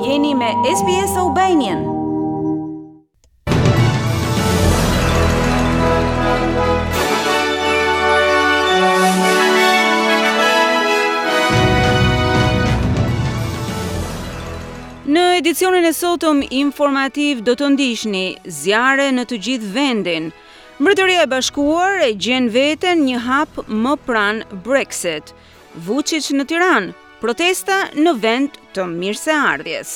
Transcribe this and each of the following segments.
Jeni me SBS Albanian. Në edicionin e sotëm informativ do të ndiqni zjarre në të gjithë vendin. Mbretëria e Bashkuar e gjen veten një hap më pranë Brexit. Vuçiç në Tiranë, protesta në vend të mirëseardhjes.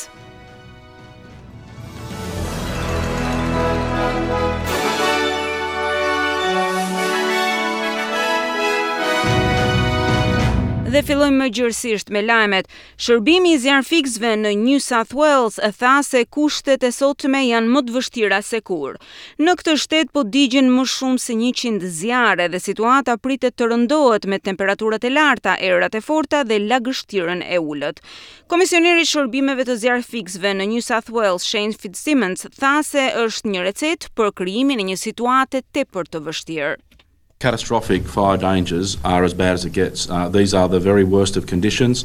Dhe fillojmë më gjerësisht me lajmet. Shërbimi i zjarrfikësve në New South Wales tha se kushtet e sotme janë më të vështira se kurrë. Në këtë shtet po digjen më shumë se 100 zjarre dhe situata pritet të rëndohet me temperaturat e larta, erërat e forta dhe lagështirën e ulët. Komisioneri i shërbimeve të zjarrfikësve në New South Wales, Shane Fitzsimmons, tha se është një recetë për krijimin e një situate tepër të vështirë. Catastrophic fire dangers are as bad as it gets. Uh, these are the very worst of conditions.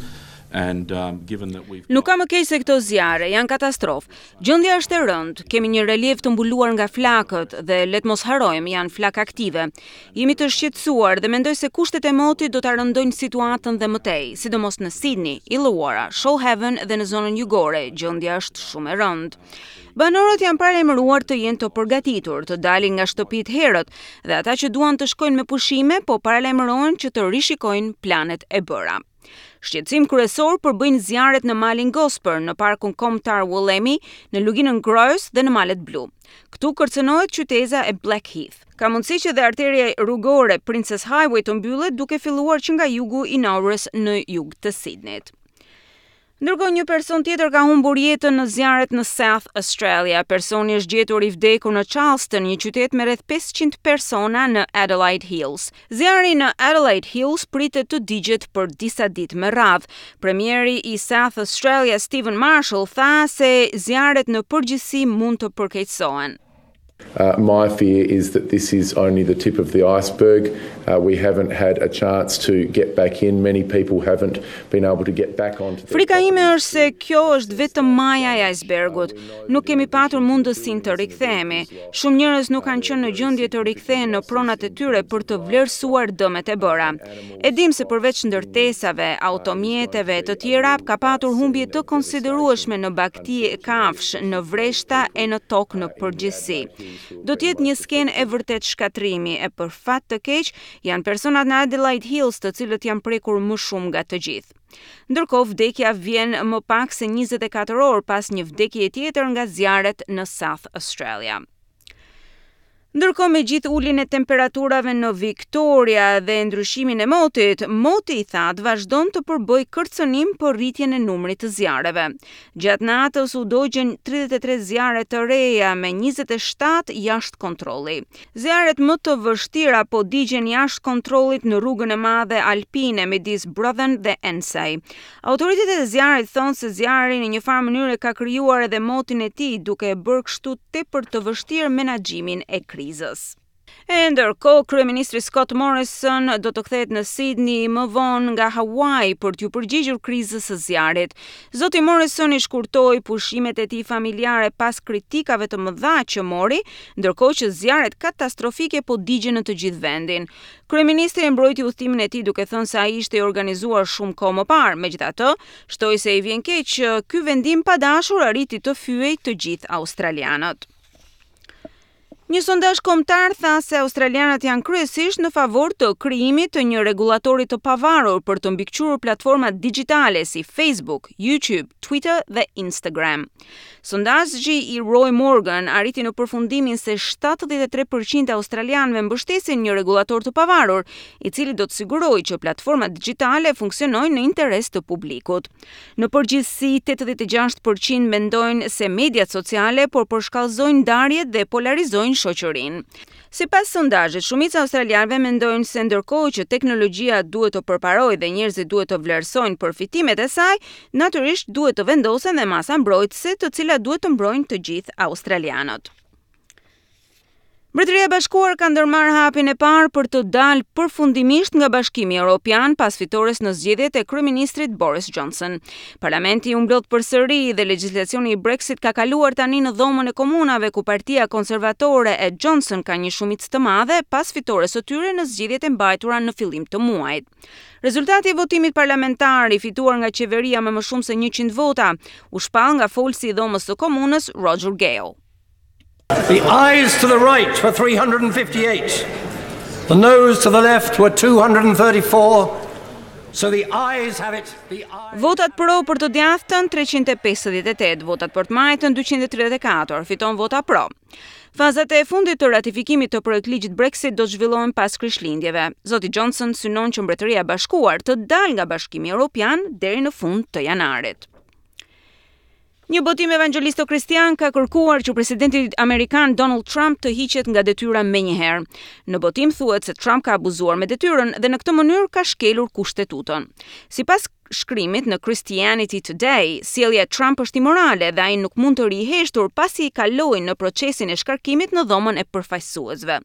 And um, given that we've Nuk ka më keq se këto zjarre, janë katastrofë. Gjendja është e rëndë, kemi një reliev të mbuluar nga flakët dhe le të mos harrojmë, janë flakë aktive. Jemi të shqetësuar dhe mendoj se kushtet e motit do ta rëndojnë situatën dhe më tej, sidomos në Sydney, Illawarra, Shoalhaven dhe në zonën jugore, gjendja është shumë e rëndë. Banorët janë paralajmëruar të jenë të përgatitur, të dalin nga shtëpitë herët dhe ata që duan të shkojnë me pushime po paralajmërohen që të rishikojnë planet e bëra. Shqetësim kryesor përbëjnë zjarret në malin Gosper, në parkun kombëtar Wollemi, në luginën Grose dhe në malet Blu. Këtu kërcënohet qyteza e Blackheath. Ka mundësi që dhe arteria rrugore Princes Highway të mbyllet duke filluar që nga jugu i Nowrës në jug të Sydneyt. Ndërkohë një person tjetër ka humbur jetën në zjarret në South Australia. Personi është gjetur i vdekur në Charleston, një qytet me rreth 500 persona në Adelaide Hills. Zjarri në Adelaide Hills pritet të digjet për disa ditë me radhë. Premieri i South Australia Steven Marshall tha se zjarret në përgjithësi mund të përkeqësohen. Uh, my fear is that this is only the tip of the iceberg. Uh, we haven't had a chance to get back in. Many people haven't been able to get back onto their Frika ime është se kjo është vetëm maja e icebergut. Nuk kemi patur mundësinë të rikthehemi. Shumë njerëz nuk kanë qenë në gjendje të rikthehen në pronat e tyre për të vlerësuar dëmet e bëra. E dimë se përveç ndërtesave, automjeteve e të tjera, ka patur humbje të konsiderueshme në bagëti e kafshë, në vreshta e në tokë në përgjithësi. Do të jetë një skenë e vërtetë shkatërrimi e për fat të keq, janë personat në Adelaide Hills të cilët janë prekur më shumë nga të gjithë. Ndërkohë, vdekja vjen më pak se 24 orë pas një vdekjeje tjetër nga zjarret në South Australia. Ndërkohë me gjithë uljen e temperaturave në Victoria dhe ndryshimin e motit, moti i thatë vazhdon të përbëjë kërcënim për rritjen e numrit të zjarreve. Gjatë natës u dogjën 33 zjarre të reja me 27 jashtë kontrolli. Zjarret më të vështira po digjen jashtë kontrollit në rrugën e madhe alpine midis Bruthen dhe Ensay. Autoritetet e zjarrit thonë se zjarri në një farë mënyre ka krijuar edhe motin e tij, duke e bërë kështu tepër të vështirë menaxhimin e krizës. E ndërkohë, kryeministri Scott Morrison do të kthehet në Sydney më vonë nga Hawaii për t'iu përgjigjur krizës së zjarrit. Zoti Morrison i shkurtoi pushimet e tij familjare pas kritikave të mëdha që mori, ndërkohë që zjarret katastrofike po digjen në të gjithë vendin. Kryeministri e mbrojti udhëtimin e tij duke thënë se ai ishte i organizuar shumë kohë më parë, megjithatë, Shtoi se i vjen keq që ky vendim pa dashur arriti të fyejë të gjithë australianët. Një sondazh kombëtar tha se australianët janë kryesisht në favor të krijimit të një rregullatori të pavarur për të mbikëqyrur platformat digjitale si Facebook, YouTube, Twitter dhe Instagram. Sondazhi i Roy Morgan arriti në përfundimin se 73% e australianëve mbështesin një rregullator të pavarur, i cili do të sigurojë që platformat digjitale funksionojnë në interes të publikut. Në përgjithësi, 86% mendojnë se mediat sociale po përshkallëzojnë ndarjet dhe polarizojnë shoqërinë. Sipas sondazhit, shumica e australianëve mendojnë se ndërkohë që teknologjia duhet të përparojë dhe njerëzit duhet të vlerësojnë përfitimet e saj, natyrisht duhet të vendosen dhe masa mbrojtëse të cilat duhet të mbrojnë të gjithë australianët. Mbretëria e Bashkuar ka ndërmarrë hapin e parë për të dalë përfundimisht nga Bashkimi Europian pas fitores në zgjedhjet e kryeministrit Boris Johnson. Parlamenti u mblodh përsëri dhe legjislacioni i Brexit ka kaluar tani në Dhomën e Komunave ku Partia Konservatore e Johnson ka një shumicë të madhe pas fitores së tyre në zgjedhjet e mbajtura në fillim të muajit. Rezultati i votimit parlamentar i fituar nga qeveria me më shumë se 100 vota u shpall nga folësi i Dhomës së Komunës Roger Gale. The ayes to the right were 358. The noes to the left were 234. So the ayes have it. The ayes Votat pro për të djathtën 358, votat për të majtën 234, fiton vota pro. Fazat e fundit të ratifikimit të projektligjit Brexit do të zhvillohen pas Krishtlindjeve. Zoti Johnson synon që Mbretëria e Bashkuar të dalë nga Bashkimi Evropian deri në fund të janarit. Një botim evangjelisto-kristian ka kërkuar që presidenti amerikan Donald Trump të hiqet nga detyra menjëherë. Në botim thuhet se Trump ka abuzuar me detyrën dhe në këtë mënyrë ka shkelur kushtetutën. Sipas shkrimit në Christianity Today, sjellja e Trump është imorale dhe ai nuk mund të rrijë heshtur pasi kaloi në procesin e shkarkimit në dhomën e përfaqësuesve.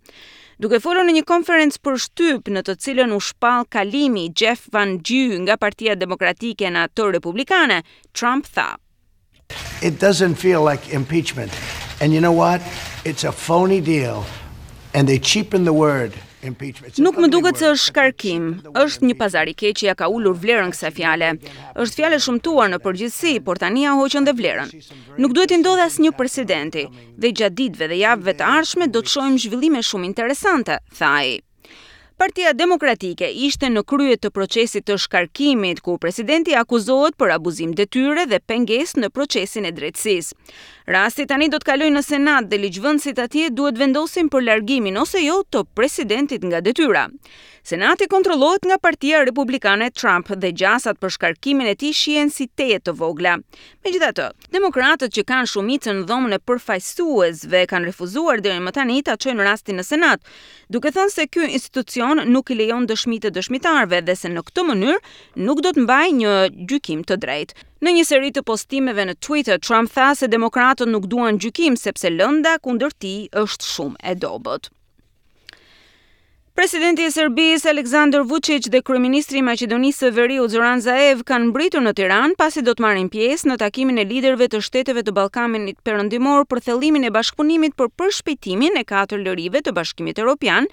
Duke folur në një konferencë për shtyp në të cilën u shpall kalimi i Jeff Van Drew nga Partia Demokratike në atë Republikane, Trump tha. It doesn't feel like impeachment. And you know what? It's a phony deal. And they cheapen the word impeachment. Nuk më duket se është shkarkim. Është një pazar i keq që ia ka ulur vlerën kësaj fjale. Është fjalë e shëmtuar në përgjithësi, por tani ia hoqën dhe vlerën. Nuk duhet t'i ndodhë asnjë presidenti dhe gjatë ditëve dhe javëve të ardhshme do të shohim zhvillime shumë interesante, tha ai. Partia Demokratike ishte në krye të procesit të shkarkimit, ku presidenti akuzohet për abuzim detyre dhe pengesë në procesin e drejtësisë. Rasti tani do të kalojë në Senat dhe ligjvënësit atje duhet vendosin për largimin ose jo të presidentit nga detyra. Senati kontrollohet nga Partia Republikane e Trump dhe gjasat për shkarkimin e tij shihen si tejet të vogla. Megjithatë, demokratët që kanë shumicën në dhomën e përfaqësuesve kanë refuzuar deri më tani ta çojnë rastin në Senat, duke thënë se ky institucion nuk i lejon dëshmitë e dëshmitarëve dhe se në këtë mënyrë nuk do të mbajë një gjykim të drejtë. Në një seri të postimeve në Twitter, Trump tha se demokratët nuk duan gjykim sepse lënda kundër tij është shumë e dobët. Presidenti i Serbisë Aleksandar Vučić dhe kryeministri i Maqedonisë së Veriut Zoran Zaev kanë mbërritur në Tiranë pasi do të marrin pjesë në takimin e liderëve të shteteve të Ballkanit Perëndimor për thellimin e bashkëpunimit për përshpejtimin e katër lirive të Bashkimit Evropian,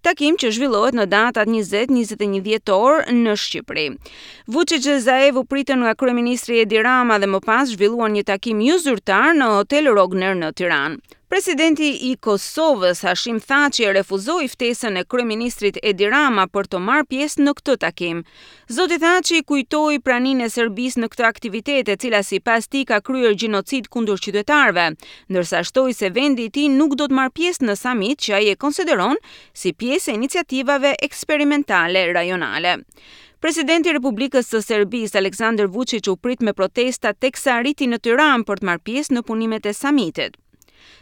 takim që zhvillohet në datat 20-21 dhjetor në Shqipëri. Vučić dhe Zaev u pritën nga kryeministri Edi Rama dhe më pas zhvilluan një takim jozyrtar në Hotel Rogner në Tiranë. Presidenti i Kosovës, Hashim Thaçi e refuzoi ftesën e kryeministrit Edi Rama për të marrë pjesë në këtë takim. Zoti Thaçi kujtoi praninë e Serbisë në këtë aktivitet, e cila sipas tij ka kryer gjenocid kundër qytetarëve, ndërsa shtoi se vendi i tij nuk do të marrë pjesë në samit që ai e konsideron si pjesë e iniciativave eksperimentale rajonale. Presidenti i Republikës së Serbisë, Aleksandar Vučić u prit me protesta teksa arriti në Tiranë për të marrë pjesë në punimet e samitit.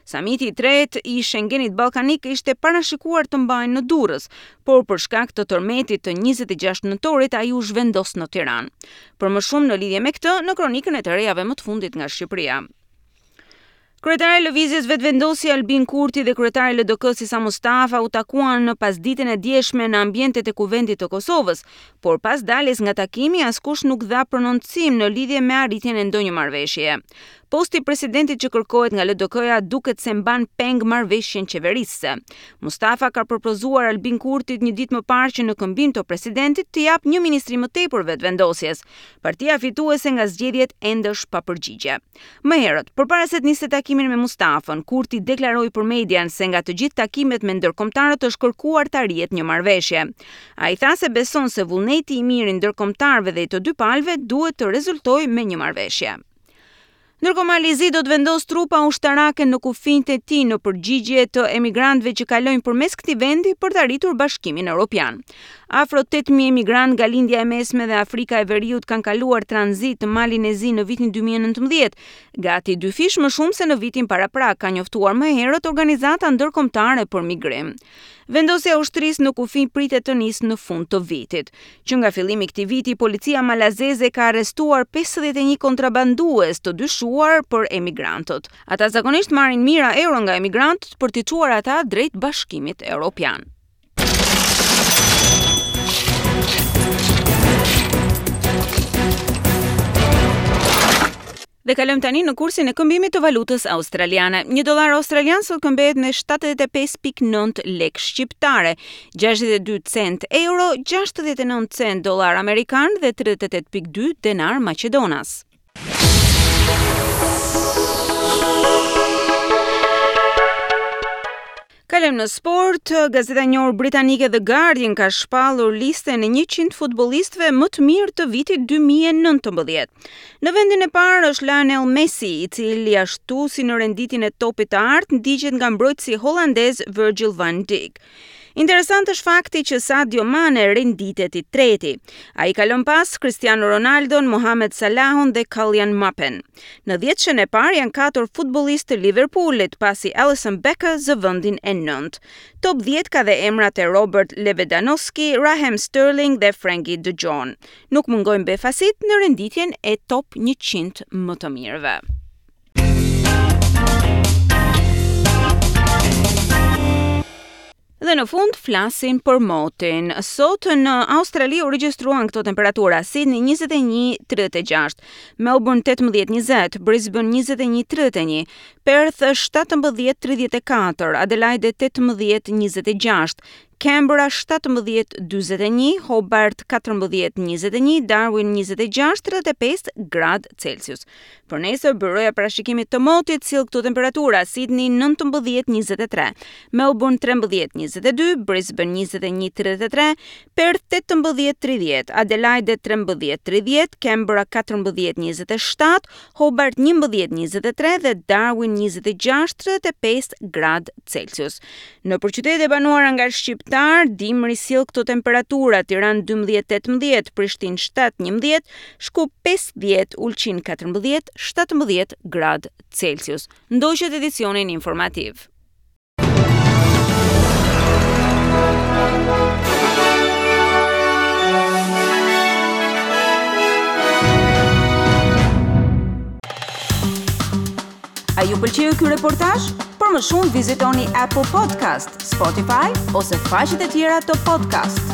Samiti i tretë i Schengenit Ballkanik ishte parashikuar të mbahej në Durrës, por për shkak të tërmetit të 26 nëntorit ai u zhvendos në Tiranë. Për më shumë në lidhje me këtë, në kronikën e të rejave më të fundit nga Shqipëria. Kryetari i Lëvizjes Vetëvendosje Albin Kurti dhe kryetari i LDK-së Isa Mustafa u takuan në pasditen e djeshme në ambientet e Kuvendit të Kosovës, por pas daljes nga takimi askush nuk dha prononcim në lidhje me arritjen e ndonjë marrëveshjeje. Posti i presidentit që kërkohet nga LDK-ja duket se mban peng marrëveshjen qeverisëse. Mustafa ka propozuar Albin Kurtit një ditë më parë që në këmbim të presidentit t'i japë një ministri më tepër Vetëvendosjes. Partia fituese nga zgjedhjet ende është pa përgjigje. Më herët, përpara se të niste takimin me Mustafën, Kurti deklaroi për median se nga të gjithë takimet me ndërkombëtarët është kërkuar të arrihet një marrëveshje. Ai tha se beson se vullneti i mirë i ndërkombëtarëve dhe i të dy palëve duhet të rezultojë me një marrëveshje. Ndërkohë Mali i Zi do të vendosë trupa ushtarake në kufinjtë e tij në përgjigje të emigrantëve që kalojnë përmes këtij vendi për të arritur Bashkimin Europian. Afro 8000 emigrantë nga Lindja e Mesme dhe Afrika e Veriut kanë kaluar tranzit në Malin e Zi në vitin 2019, gati dyfish më shumë se në vitin paraprak, ka njoftuar më herët Organizata Ndërkombëtare për Migrim. Vendosja e ushtrisë në kufi pritet të nisë në fund të vitit. Që nga fillimi i këtij viti, policia malazeze ka arrestuar 51 kontrabandues të dyshuar për emigrantët. Ata zakonisht marrin mijëra euro nga emigrantët për t'i çuar ata drejt Bashkimit Europian. Dhe kalojmë tani në kursin e këmbimit të valutës australiane. Një dollar australian sot këmbehet me 75.9 lekë shqiptare, 62 cent euro, 69 cent dollar amerikan dhe 38.2 denar maqedonas. Kalojmë në sport. Gazeta e njohur britanike The Guardian ka shpallur listën e 100 futbollistëve më të mirë të vitit 2019. Në vendin e parë është Lionel Messi, i cili ashtu si në renditjen e topit të artë ndiqet nga mbrojtësi holandez Virgil van Dijk. Interesant është fakti që Sadio Mane renditet i treti. Ai kalon pas Cristiano Ronaldon, Mohamed Salahun dhe Kylian Mbappen. Në dhjetëshen e parë janë katër futbollistë të Liverpoolit, pasi Alisson Becker zë vendin e nëntë. Top 10 ka dhe emrat e Robert Lewandowski, Raheem Sterling dhe Frenkie de Jong. Nuk mungojnë befasitë në renditjen e top 100 më të mirëve. Dhe në fund flasim për motin. Sot në Australi u regjistruan këto temperatura: Sydney 21:36, Melbourne 18:20, Brisbane 21:31, Perth 17:34, Adelaide 18:26, Canberra 17:41, Hobart 14:21, Darwin 26:35 gradë Celsius. Për nesër, byroja e parashikimit të motit sjell këto temperatura: Sydney 19:23, Melbourne 13:22, Brisbane 21:33, Perth 18:30, Adelaide 13:30, Canberra 14:27, Hobart 11:23 dhe Darwin 26:35 gradë Celsius. Nëpër qytetet e banuara nga shqiptarë, dimri sjell këto temperatura: Tiranë 12-18, Prishtinë 7-11, Shkup 5-10, Ulqin 14, 17 gradë Celsius. Ndoqët edicionin informativ. A ju pëlqeu ky reportazh? Për më shumë vizitoni Apple Podcast, Spotify ose faqet e tjera të podcast.